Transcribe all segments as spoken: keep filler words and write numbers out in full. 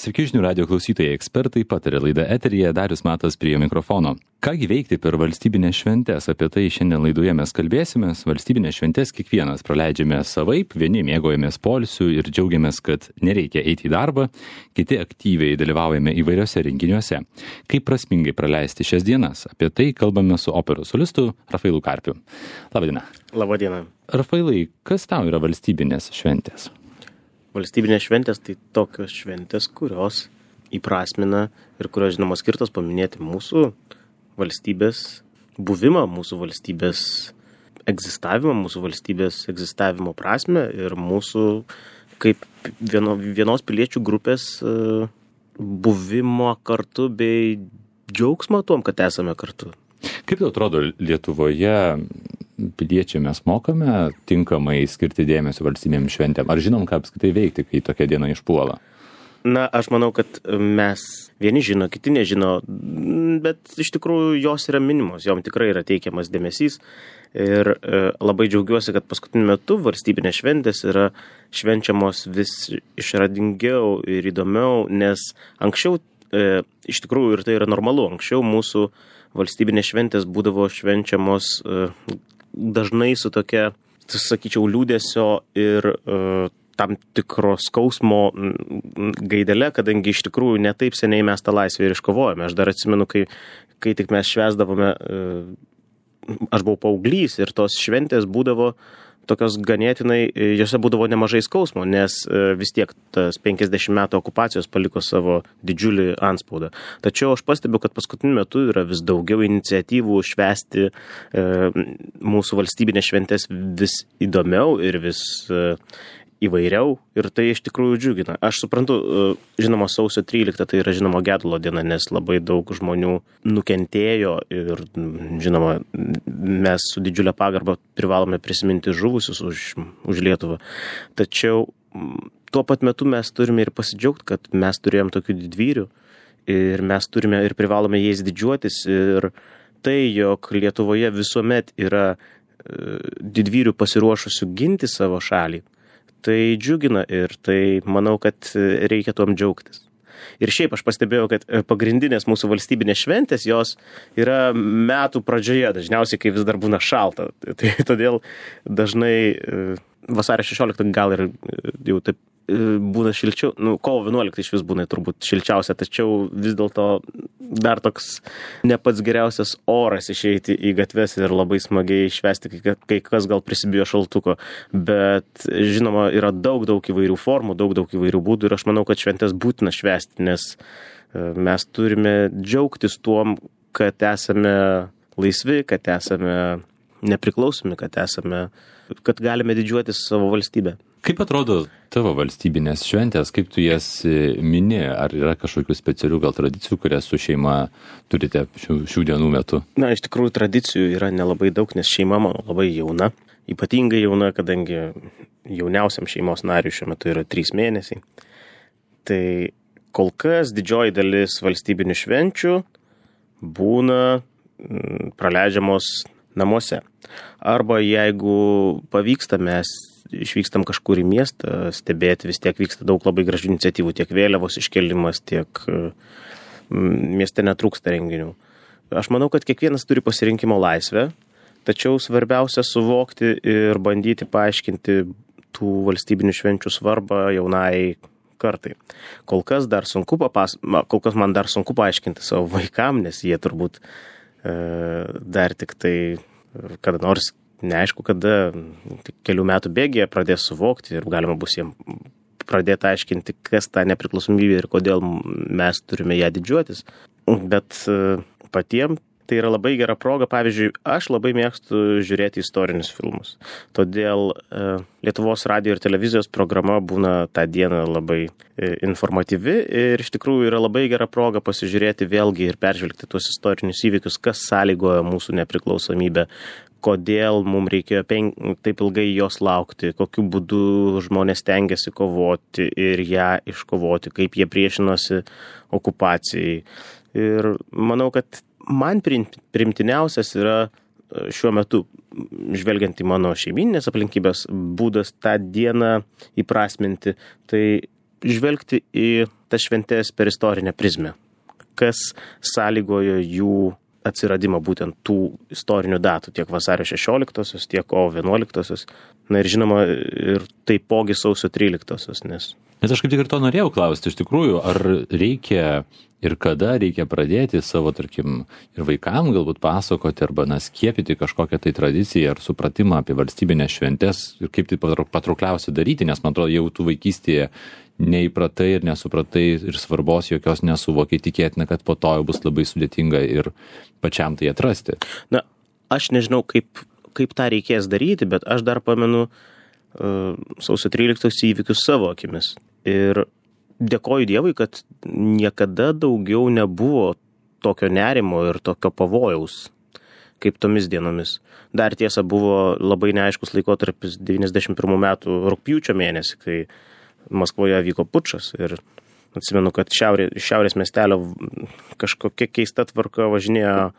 Sveiki žinių radio klausytojai, ekspertai patarė laidą eteryje, Darius Matas prie mikrofono. Kągi veikti per valstybinės šventes, apie tai šiandien laidoje mes kalbėsimės. Valstybinės šventes kiekvienas praleidžiame savaip, vieni mėgaujamės poilsiu ir džiaugiamės, kad nereikia eiti į darbą, kiti aktyviai dalyvaujame įvairiose renginiuose. Kaip prasmingai praleisti šias dienas? Apie tai kalbame su operos solistu Rafailu Karpiu. Labadiena. Labadiena. Rafailai, kas tau yra valstybinės šventės? Valstybinės šventės tai tokios šventės, kurios įprasmina ir kurios, žinoma, skirtos paminėti mūsų valstybės buvimą, mūsų valstybės egzistavimą, mūsų valstybės egzistavimo prasme ir mūsų kaip vieno, vienos piliečių grupės buvimo kartu bei džiaugsmą tom, kad esame kartu. Kaip tau atrodo, Lietuvoje piliečiai mes mokame tinkamai skirti dėmesio valstybėm šventėm? Ar žinom, ką apskritai veikti, kai tokia diena išpuola? Na, aš manau, kad mes vieni žino, kiti nežino, bet iš tikrųjų jos yra minimos, jom tikrai yra teikiamas dėmesys. Ir e, labai džiaugiuosi, kad paskutiniu metu valstybinės šventės yra švenčiamos vis išradingiau ir įdomiau, nes anksčiau, e, iš tikrųjų ir tai yra normalu, anksčiau mūsų valstybinės šventės būdavo švenčiamos e, dažnai su tokia, sakyčiau, liūdesio ir e, tam tikro skausmo gaidele, kadangi iš tikrųjų ne taip seniai mes tą laisvę ir iškovojame. Aš dar atsimenu, kai, kai tik mes švęsdavome, e, aš buvau paauglys ir tos šventės būdavo tokios ganėtinai, jose būdavo nemažai skausmo, nes vis tiek tas penkiasdešimt metų okupacijos paliko savo didžiulį antspaudą. Tačiau aš pastebiu, kad paskutiniu metu yra vis daugiau iniciatyvų švęsti e, mūsų valstybinės šventės vis įdomiau ir vis e, įvairiau ir tai iš tikrųjų džiugina. Aš suprantu, žinoma, sausio trylikta tai yra žinoma gedulo diena, nes labai daug žmonių nukentėjo ir žinoma, mes su didžiulė pagarba privalome prisiminti žuvusius už, už Lietuvą. Tačiau tuo pat metu mes turime ir pasidžiaugti, kad mes turėjom tokių didvyrių ir mes turime ir privalome jais didžiuotis ir tai, jog Lietuvoje visuomet yra didvyrių pasiruošusių ginti savo šalį, tai džiugina ir tai manau, kad reikia tuom džiaugtis. Ir šiaip aš pastebėjau, kad pagrindinės mūsų valstybinės šventės, jos yra metų pradžioje, dažniausiai, kai vis dar būna šalta. Tai todėl dažnai vasario šešioliktą gal ir jau taip būna šilčiau, nu, kovo vienuoliktą iš vis būna turbūt šilčiausia, tačiau vis dėlto dar toks ne pats geriausias oras išeiti į gatves ir labai smagiai švęsti, kai, kai kas gal prisibijo šaltuko, bet žinoma, yra daug, daug įvairių formų, daug, daug įvairių būdų ir aš manau, kad šventės būtina švęsti, nes mes turime džiaugtis tuom, kad esame laisvi, kad esame nepriklausomi, kad esame, kad galime didžiuotis savo valstybę. Kaip atrodo tavo valstybinės šventės, kaip tu jas mini, ar yra kažkokių specialių gal tradicijų, kurias su šeima turite šių, šių dienų metu? Na, iš tikrųjų tradicijų yra nelabai daug, nes šeima mano labai jauna, ypatingai jauna, kadangi jauniausiam šeimos nariui šiuo metu yra trys mėnesiai. Tai kol kas didžioji dalis valstybinių švenčių būna m, praleidžiamos namuose. Arba jeigu pavyksta, mes išvykstam kažkur į miestą stebėti, vis tiek vyksta daug labai gražių iniciatyvų, tiek vėliavos iškelimas, tiek mieste netrūksta renginių. Aš manau, kad kiekvienas turi pasirinkimo laisvę, tačiau svarbiausia suvokti ir bandyti paaiškinti tų valstybinių švenčių svarbą jaunai kartai. Kol kas, dar sunku papas... Kol kas man dar sunku paaiškinti savo vaikam, nes jie turbūt e, dar tik tai kada nors neaišku, kada kelių metų bėgyje pradės suvokti ir galima bus jiems pradėti aiškinti, kas ta nepriklausomybė ir kodėl mes turime ją didžiuotis. Bet patiems tai yra labai gera proga. Pavyzdžiui, aš labai mėgstu žiūrėti istorinius filmus. Todėl Lietuvos radijo ir televizijos programa būna tą dieną labai informatyvi ir iš tikrųjų yra labai gera proga pasižiūrėti vėlgi ir peržvelgti tuos istorinius įvykius, kas sąlygojo mūsų nepriklausomybę, kodėl mums reikėjo pen... taip ilgai jos laukti, kokiu būdu žmonės tengiasi kovoti ir ją iškovoti, kaip jie priešinosi okupacijai. Ir manau, kad man primtiniausias yra šiuo metu, žvelgiant į mano šeiminės aplinkybės, būdas tą dieną įprasminti, tai žvelgti į tas šventės per istorinę prizmę. Kas sąlygojo jų atsiradimą būtent tų istorinių datų, tiek vasario šešioliktosios, tiek kovo vienuoliktosios, na ir žinoma, ir taipogi sausio tryliktosios, nes... Nes aš kaip tik ir to norėjau klausti, iš tikrųjų, ar reikia ir kada reikia pradėti savo, tarkim, ir vaikam galbūt pasakoti arba na, skiepyti kažkokią tai tradiciją ar supratimą apie valstybinės šventes ir kaip tai patraukliausia daryti, nes man atrodo, jau tu vaikystėje neįpratai ir nesupratai ir svarbos jokios nesuvokiai, tikėtina, kad po to jau bus labai sudėtinga ir pačiam tai atrasti. Na, aš nežinau, kaip, kaip tą reikės daryti, bet aš dar pamenu uh, sausio tryliktos įvykius savo akimis. Ir dėkoju Dievui, kad niekada daugiau nebuvo tokio nerimo ir tokio pavojaus, kaip tomis dienomis. Dar tiesa buvo labai neaiškus laikotarpis devyniasdešimt pirmų metų rugpjūčio mėnesį, kai Maskvoje vyko pučas ir atsimenu, kad šiaurė, šiaurės miestelio kažkokia keista tvarka važinėjo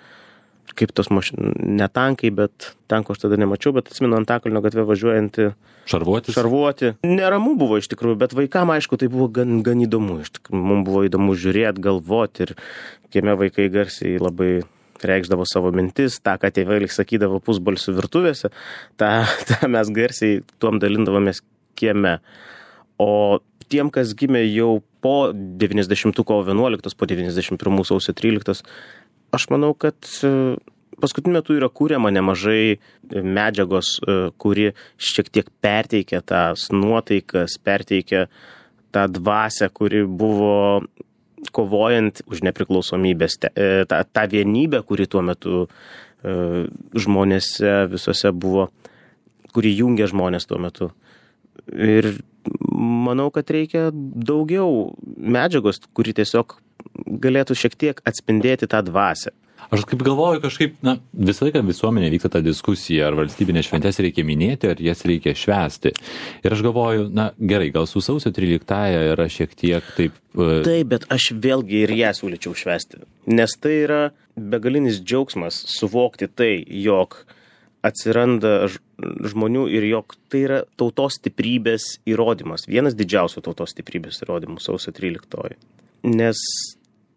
kaip tos mašinos, ne tankai, bet tanko aš tada nemačiau, bet atsimenu Antakalnio gatvę važiuojantį Šarvuotis? Šarvuoti. Neramu buvo iš tikrųjų, bet vaikam aišku tai buvo gan, gan įdomu. Iš tikrųjų, mums buvo įdomu žiūrėti, galvoti ir kieme vaikai garsiai labai reikšdavo savo mintis, tą, ką tėvai sakydavo pusbalsių virtuvėse, tą, tą mes garsiai tuom dalindavomės kieme. O tiem, kas gimė jau po devyniasdešimtų kovo vienuoliktos, po devyniasdešimt pirmų sausio tryliktos, aš manau, kad paskutiniu metu yra kūriama nemažai medžiagos, kuri šiek tiek perteikia tas nuotaikas, perteikia tą dvasią, kuri buvo kovojant už nepriklausomybės, tą, tą vienybę, kuri tuo metu žmonėse visose buvo, kuri jungia žmonės tuo metu. Ir manau, kad reikia daugiau medžiagos, kuri tiesiog galėtų šiek tiek atspindėti tą dvasią. Aš kaip galvoju, kažkaip, na, visą laiką visuomenė vyksta ta diskusija, ar valstybinės šventės reikia minėti, ar jas reikia švęsti. Ir aš galvoju, na, gerai, gal su sausio tryliktąja yra šiek tiek taip... Uh... Taip, bet aš vėlgi ir ją siūlyčiau švęsti. Nes tai yra begalinis džiaugsmas suvokti tai, jog atsiranda žmonių ir jog tai yra tautos stiprybės įrodymas. Vienas didžiausių tautos stiprybės įrodymų sausio tryliktoji. Nes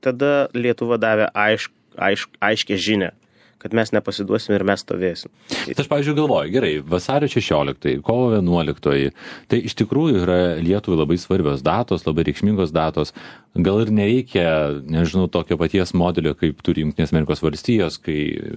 tada Lietuva davė aišk, aišk, aiškę žinią, kad mes nepasiduosim ir mes stovėsim. Tai aš, pavyzdžiui, galvoju, gerai, vasario šešioliktoji, kovo vienuoliktoji, tai iš tikrųjų yra Lietuvai labai svarbios datos, labai reikšmingos datos. Gal ir nereikia, nežinau, tokio paties modelio, kaip turi Jungtinės Amerikos valstijos, kai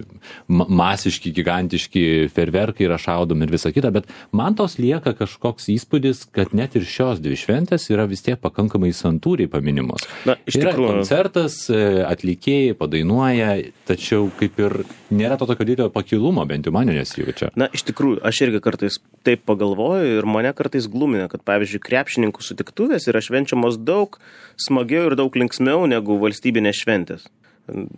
masiški, gigantiški fejerverkai yra šaudomi ir visa kita, bet man tos lieka kažkoks įspūdis, kad net ir šios dvi šventės yra vis tiek pakankamai santūriai paminimos. Na, iš tikrųjų. Yra koncertas, atlikėjai padainuoja, tačiau kaip ir nėra to tokio didelio pakilumo, bent jau man nesijaučia. Na, iš tikrųjų, aš irgi kartais taip pagalvoju ir mane kartais glumina, kad, pavyzdžiui, krepšininkų sutiktuvės yra švenčiamos daug smagiau ir daug linksmiau negu valstybinės šventės.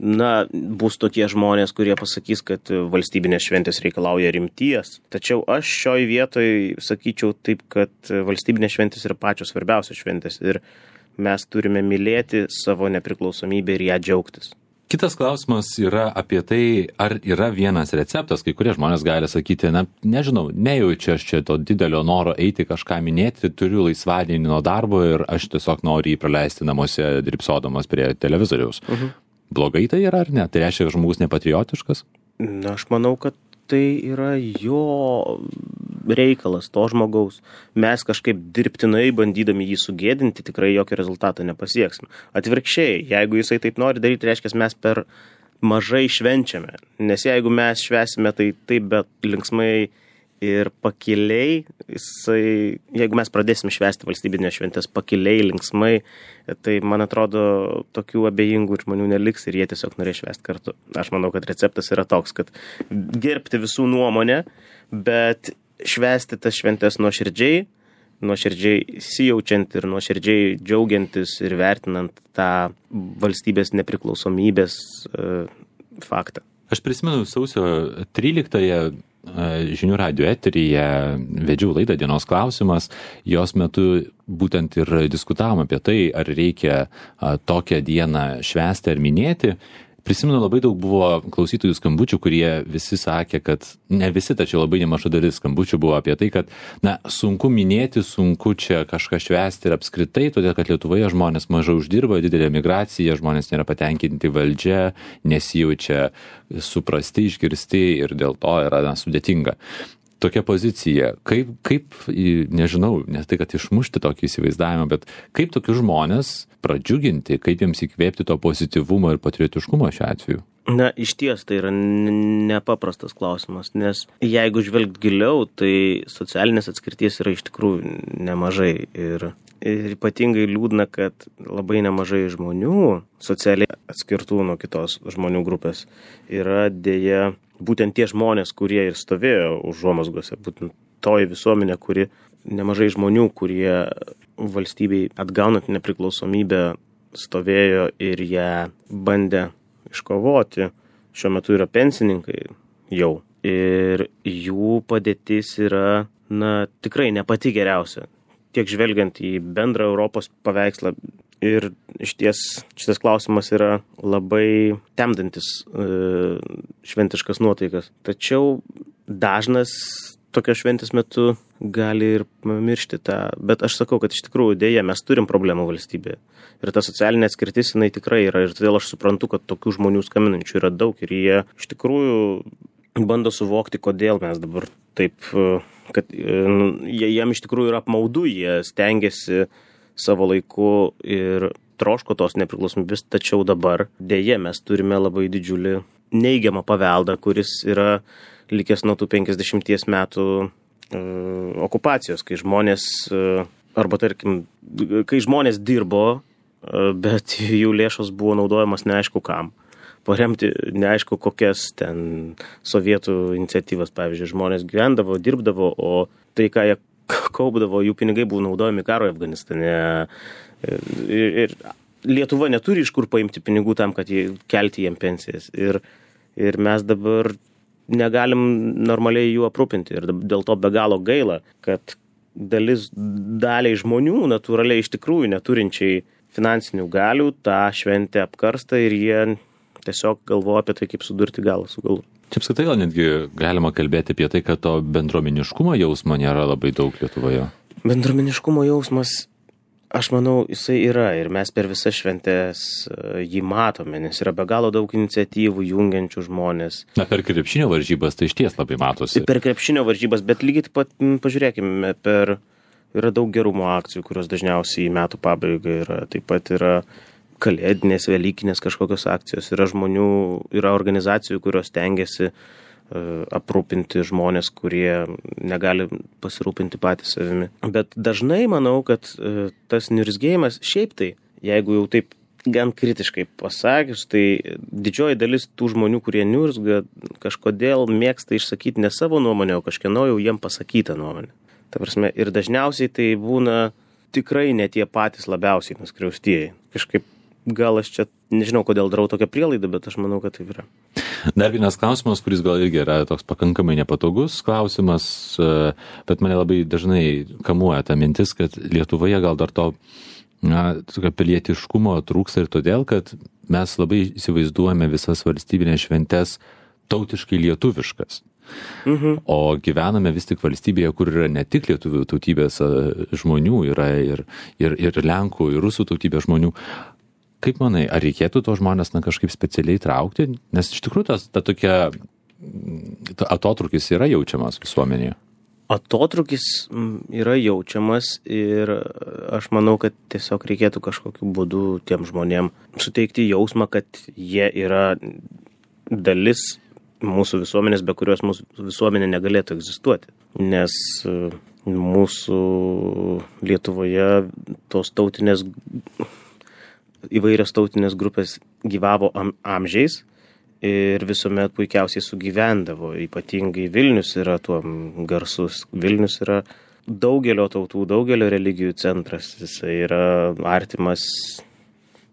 Na, bus tokie žmonės, kurie pasakys, kad valstybinės šventės reikalauja rimties. Tačiau aš šioj vietoj sakyčiau taip, kad valstybinės šventės yra pačios svarbiausios šventės ir mes turime mylėti savo nepriklausomybę ir ją džiaugtis. Kitas klausimas yra apie tai, ar yra vienas receptas, kai kurie žmonės gali sakyti, na, nežinau, nejaučiu aš čia to didelio noro eiti kažką minėti, turiu laisvadienį nuo darbo ir aš tiesiog noriu jį praleisti namuose drybsodamas prie televizoriaus. Uh-huh. Blogai tai yra ar ne? Tai reiškia, kad žmogus nepatriotiškas? Na, aš manau, kad tai yra jo reikalas, to žmogaus. Mes kažkaip dirbtinai bandydami jį sugėdinti, tikrai jokio rezultato nepasieksim. Atvirkščiai, jeigu jisai taip nori daryti, reiškia, mes per mažai švenčiame. Nes jeigu mes švesime tai taip, bet linksmai ir pakiliai, jisai, jeigu mes pradėsim švęsti valstybinės šventės pakiliai, linksmai, tai, man atrodo, tokių abejingų žmonių neliks ir jie tiesiog norės švęsti kartu. Aš manau, kad receptas yra toks, kad gerbti visų nuomonę, bet švęsti tas šventės nuoširdžiai, nuoširdžiai įsijaučiant ir nuoširdžiai džiaugiantis ir vertinant tą valstybės nepriklausomybės uh, faktą. Aš prisimenu sausio tryliktąją žinių radijo eteryje vedžiau laidą Dienos klausimas, jos metu būtent ir diskutavom apie tai, ar reikia tokią dieną švęsti ar minėti. Prisimenu, labai daug buvo klausytojų skambučių, kurie visi sakė, kad ne visi, tačiau labai nemaža dalis skambučių buvo apie tai, kad na, sunku minėti, sunku čia kažką švęsti ir apskritai, todėl kad Lietuvoje žmonės mažai uždirba, didelė migracija, žmonės nėra patenkinti valdžia, nesijaučia suprasti, išgirsti ir dėl to yra na, sudėtinga. Tokia pozicija, kaip, kaip, nežinau, ne tai, kad išmušti tokį įsivaizdavimą, bet kaip tokius žmonės pradžiuginti, kaip jiems įkvėpti to pozityvumo ir patriotiškumo šiuo atveju? Na, iš ties tai yra nepaprastas klausimas, nes jeigu žvelgt giliau, tai socialinės atskirties yra iš tikrųjų nemažai ir, ir ypatingai liūdna, kad labai nemažai žmonių socialiai atskirtų nuo kitos žmonių grupės yra dėja būtent tie žmonės, kurie ir stovėjo užuomazgose, būtent toji visuomenė, kuri nemažai žmonių, kurie valstybei atgaunant nepriklausomybę stovėjo ir ją bandė iškovoti, šiuo metu yra pensininkai jau. Ir jų padėtis yra, na, tikrai ne pati geriausia. Tiek žvelgiant į bendrą Europos paveikslą. Ir iš ties šitas klausimas yra labai temdantis e, šventiškas nuotaikas. Tačiau dažnas tokios šventės metu gali ir miršti tą. Bet aš sakau, kad iš tikrųjų dėja mes turim problemų valstybėje. Ir ta socialinė atskirtis jinai tikrai yra. Ir todėl aš suprantu, kad tokių žmonių skambinančių yra daug. Ir jie iš tikrųjų bando suvokti, kodėl mes dabar taip, kad jie, jiem iš tikrųjų yra apmaudu, jie stengiasi savo laiku ir troško tos nepriklausomybės, tačiau dabar dėje mes turime labai didžiulį neigiamą paveldą, kuris yra likęs nuo tų penkiasdešimties metų e, okupacijos, kai žmonės, e, arba tarkim, kai žmonės dirbo, e, bet jų lėšos buvo naudojamas neaišku kam. Paremti neaišku kokias ten sovietų iniciatyvas, pavyzdžiui, žmonės gyvendavo, dirbdavo, o tai, ką jie kaupdavo, jų pinigai buvo naudojami karo Afganistane. Ir, ir Lietuva neturi iš kur paimti pinigų tam, kad jie, kelti jiem pensijas. Ir, ir mes dabar negalim normaliai jų aprūpinti. Ir dėl to be galo gaila, kad dalis daliai žmonių natūraliai iš tikrųjų neturinčiai finansinių galių tą šventę apkarsta ir jie tiesiog galvoja apie tai, kaip sudurti galą su galu. Čia apskritai gal netgi galima kalbėti apie tai, kad to bendruomeniškumo jausmo nėra labai daug Lietuvoje. Bendruomeniškumo jausmas, aš manau, jisai yra ir mes per visas šventės jį matome, nes yra be galo daug iniciatyvų jungiančių žmonės. Na, per krepšinio varžybas tai išties labai matosi. Per krepšinio varžybas, bet lygiai taip pat, pažiūrėkime, per, yra daug gerumo akcijų, kurios dažniausiai į metų pabaigą yra, taip pat yra kalėdinės, velykinės kažkokios akcijos. Yra žmonių, yra organizacijų, kurios tengiasi uh, aprūpinti žmonės, kurie negali pasirūpinti patys savimi. Bet dažnai manau, kad uh, tas niurzgėjimas, šiaip tai, jeigu jau taip gan kritiškai pasakius, tai didžioji dalis tų žmonių, kurie niurzga, kažkodėl mėgsta išsakyti ne savo nuomonę, o kažkieno jau jiem pasakytą nuomonę. Ta prasme, ir dažniausiai tai būna tikrai ne tie patys labiausiai nuskriaustieji. Kažkaip gal aš čia, nežinau, kodėl darau tokią prielaidą, bet aš manau, kad taip yra. Dar vienas klausimas, kuris gal irgi yra toks pakankamai nepatogus klausimas, bet mane labai dažnai kamuoja ta mintis, kad Lietuvoje gal dar to na, tokio pilietiškumo trūksta ir todėl, kad mes labai įsivaizduojame visas valstybinės šventes tautiškai lietuviškas. Mhm. O gyvename vis tik valstybėje, kur yra ne tik lietuvių tautybės žmonių, yra ir, ir, ir lenkų, ir rusų tautybės žmonių. Kaip manai, ar reikėtų to žmonės na, kažkaip specialiai traukti? Nes iš tikrųjų tas, ta tokia ta atotrukis yra jaučiamas visuomenėje. Atotrukis yra jaučiamas ir aš manau, kad tiesiog reikėtų kažkokiu būdu tiem žmonėm suteikti jausmą, kad jie yra dalis mūsų visuomenės, be kurios mūsų visuomenė negalėtų egzistuoti. Nes mūsų Lietuvoje tos tautinės įvairios tautinės grupės gyvavo am, amžiais ir visuomet puikiausiai sugyvendavo. Ypatingai Vilnius yra tuo garsus. Vilnius yra daugelio tautų, daugelio religijų centras. Jisai yra artimas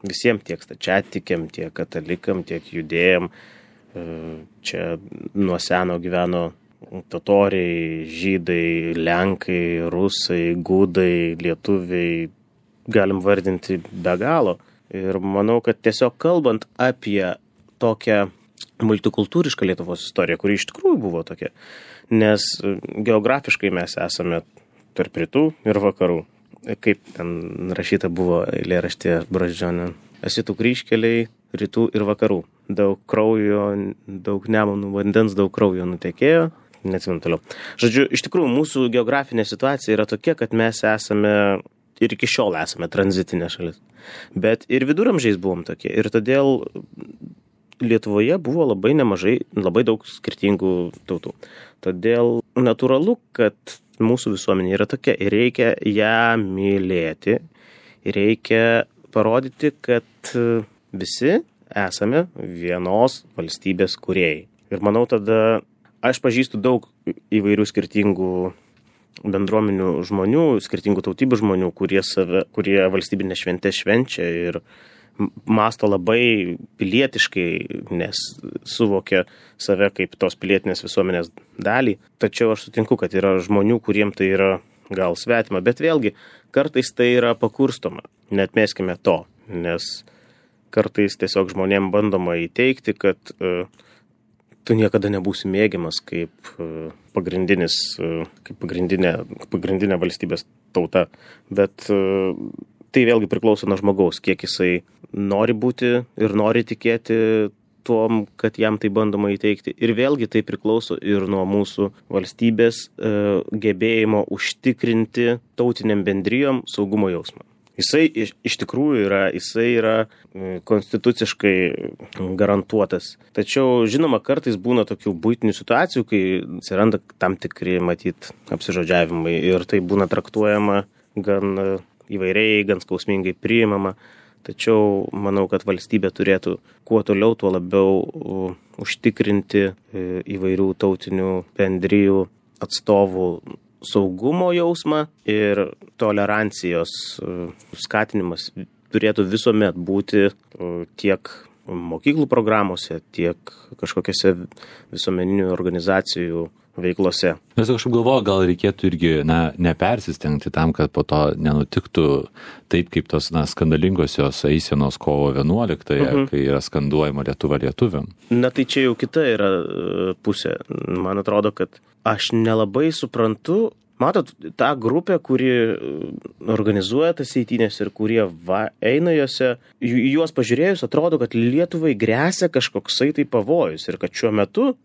visiems tiek stačiatikiam, tiek katalikam, tiek judėjam. Čia nuo seno gyveno totoriai, žydai, lenkai, rusai, gudai, lietuviai. Galim vardinti be galo. Ir manau, kad tiesiog kalbant apie tokią multikultūrišką Lietuvos istoriją, kuri iš tikrųjų buvo tokia. Nes geografiškai mes esame tarp rytų ir vakarų. Kaip ten rašyta buvo eilėraštė Brazdžionio. Esi tų kryžkeliai rytų ir vakarų. Daug kraujo, daug nemunų vandens, daug kraujo nutekėjo. Neatsimenu toliau. Žodžiu, iš tikrųjų, mūsų geografinė situacija yra tokia, kad mes esame ir iki šiol esame tranzitinė šalis. Bet ir viduramžiais buvom tokie. Ir todėl Lietuvoje buvo labai nemažai, labai daug skirtingų tautų. Todėl natūralu, kad mūsų visuomenė yra tokia ir reikia ją mylėti. Reikia parodyti, kad visi esame vienos valstybės kūrėjai. Ir manau, tada aš pažįstu daug įvairių skirtingų bendruomenių žmonių, skirtingų tautybių žmonių, kurie, save, kurie valstybinę šventę švenčia ir mąsto labai pilietiškai, nes suvokia save kaip tos pilietinės visuomenės dalį. Tačiau aš sutinku, kad yra žmonių, kuriem tai yra gal svetima, bet vėlgi kartais tai yra pakurstoma. Neatmeskime to, nes kartais tiesiog žmonėm bandoma įteikti, kad uh, tu niekada nebūsi mėgiamas kaip uh, pagrindinis, uh, kaip pagrindinė, pagrindinė valstybės tauta. Bet uh, tai vėlgi priklauso nuo žmogaus, kiek jisai nori būti ir nori tikėti tuom, kad jam tai bandoma įteikti. Ir vėlgi tai priklauso ir nuo mūsų valstybės e, gebėjimo užtikrinti tautiniam bendrijom saugumo jausmą. Jisai iš, iš tikrųjų yra, jisai yra konstituciškai garantuotas. Tačiau, žinoma, kartais būna tokių buitinių situacijų, kai atsiranda tam tikri, matyt, apsižodžiavimai ir tai būna traktuojama gan įvairiai, gan skausmingai priimama. Tačiau manau, kad valstybė turėtų kuo toliau, tuo labiau užtikrinti įvairių tautinių bendrijų atstovų saugumo jausmą ir tolerancijos skatinimas turėtų visuomet būti tiek mokyklų programuose, tiek kažkokiose visuomeninių organizacijų veiklose. Mes kažkaip galvoju, gal reikėtų irgi na, nepersistengti tam, kad po to nenutiktų taip, kaip tos na, skandalingosios eisenos kovo vienuoliktąją, uh-huh. kai yra skanduojama Lietuva lietuviam. Na tai čia jau kita yra pusė. Man atrodo, kad aš nelabai suprantu, matot, tą grupę, kuri organizuoja tas eitynės ir kurie va, eina jose, juos pažiūrėjus atrodo, kad Lietuvai gresia kažkoksai tai pavojus ir kad šiuo metu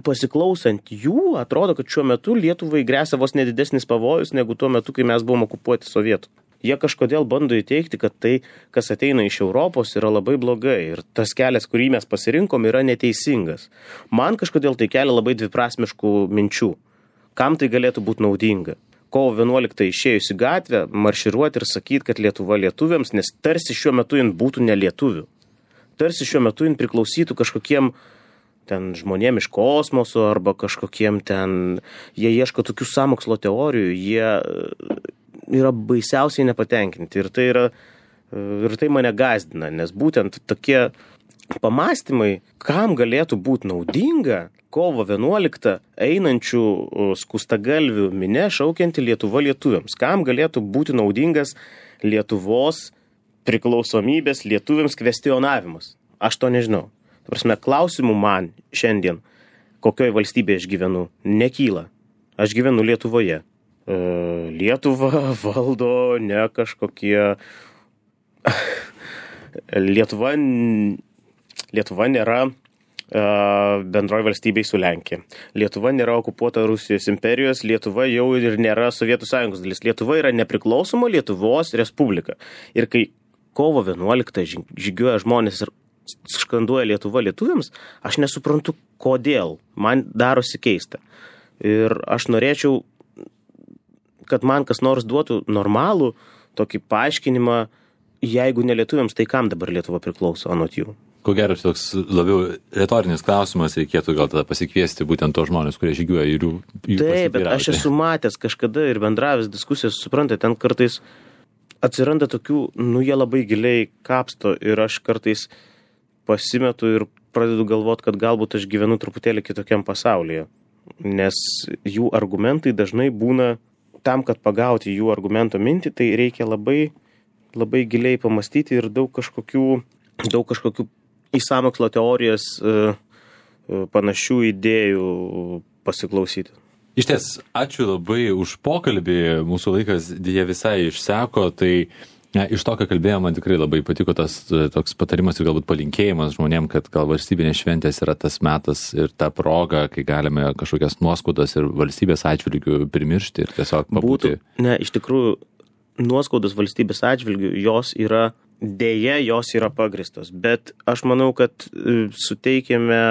pasiklausant jų, atrodo, kad šiuo metu Lietuvai gresia vos nedidesnis pavojus negu tuo metu, kai mes buvom okupuoti sovietų. Jie kažkodėl bando įteikti, kad tai, kas ateina iš Europos, yra labai blogai ir tas kelias, kurį mes pasirinkom, yra neteisingas. Man kažkodėl tai kelia labai dviprasmiškų minčių. Kam tai galėtų būti naudinga? Kovo vienuoliktą išėjus į gatvę, marširuoti ir sakyti, kad Lietuva lietuviams, nes tarsi šiuo metu jin būtų ne lietuvių. Tarsi šiuo metu jin priklausytų kažkokiem ten žmonėm iš kosmoso arba kažkokiem ten, jie ieško tokių sąmokslo teorijų, jie yra baisiausiai nepatenkinti ir tai, yra, ir tai mane gazdina, nes būtent tokie pamastymai, kam galėtų būti naudinga kovo vienuoliktą einančių skustagalvių minė šaukianti Lietuva lietuviams, kam galėtų būti naudingas Lietuvos priklausomybės lietuviams kvestionavimas. Aš to nežinau. Ta prasme, klausimų man šiandien, kokioj valstybėje aš gyvenu, nekyla. Aš gyvenu Lietuvoje. E, Lietuva valdo ne kažkokie... Lietuva, Lietuva nėra e, bendroji valstybei su Lenkija. Lietuva nėra okupuota Rusijos imperijos, Lietuva jau ir nėra Sovietų Sąjungos dalis. Lietuva yra nepriklausoma Lietuvos Respublika. Ir kai kovo vienuoliktą žygiuoja žmonės ir skanduoja Lietuva lietuviams, aš nesuprantu, kodėl. Man darosi keista. Ir aš norėčiau, kad man kas nors duotų normalų tokį paaiškinimą, jeigu ne lietuviams, tai kam dabar Lietuva priklauso anot jų? Ko gero, toks labiau retorinis klausimas, reikėtų gal tada pasikviesti būtent tos žmonės, kurie žygiuoja ir jų, jų Taip, bet aš esu matęs kažkada ir bendravęs diskusijas, suprantate, ten kartais atsiranda tokių, nu jie labai giliai kapsto ir aš kartais pasimetu ir pradedu galvoti, kad galbūt aš gyvenu truputėlį kitokiam pasaulyje. Nes jų argumentai dažnai būna, tam, kad pagauti jų argumento mintį, tai reikia labai, labai giliai pamastyti ir daug kažkokių, daug kažkokių į sąmokslo teorijas panašių idėjų pasiklausyti. Iš ties, ačiū labai už pokalbį, mūsų laikas dėja visai išseko, tai ne, iš to, ką kalbėjome, man tikrai labai patiko tas toks patarimas ir galbūt palinkėjimas žmonėm, kad gal valstybinės šventės yra tas metas ir ta proga, kai galime kažkokias nuoskaudas ir valstybės atžvilgių primiršti ir tiesiog pabūti. Būtų, ne, iš tikrųjų, nuoskaudos valstybės atžvilgių, jos yra, dėja, jos yra pagristos, bet aš manau, kad suteikėme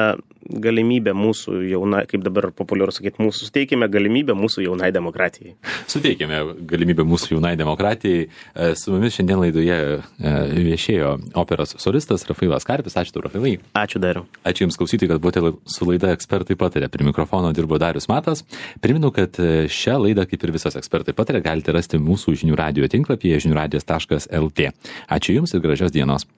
galimybę mūsų jaunai, kaip dabar populiaru sakyti, mūsų suteikėme galimybę mūsų jaunai demokratijai. Suteikėme galimybę mūsų jaunai demokratijai. Su mumis šiandien laidoje viešėjo operos solistas Rafailas Karpis. Ačiū tau, Rafailai. Ačiū, Dariau. Ačiū Jums klausytojai, kad buvote su laida Ekspertai pataria. Prie mikrofono dirbo Darius Matas. Priminu, kad šią laidą, kaip ir visas Ekspertai pataria, galite rasti mūsų žinių radijo tinklapyje žinių radijas taškas el tė. Ačiū Jums ir gražios dienos.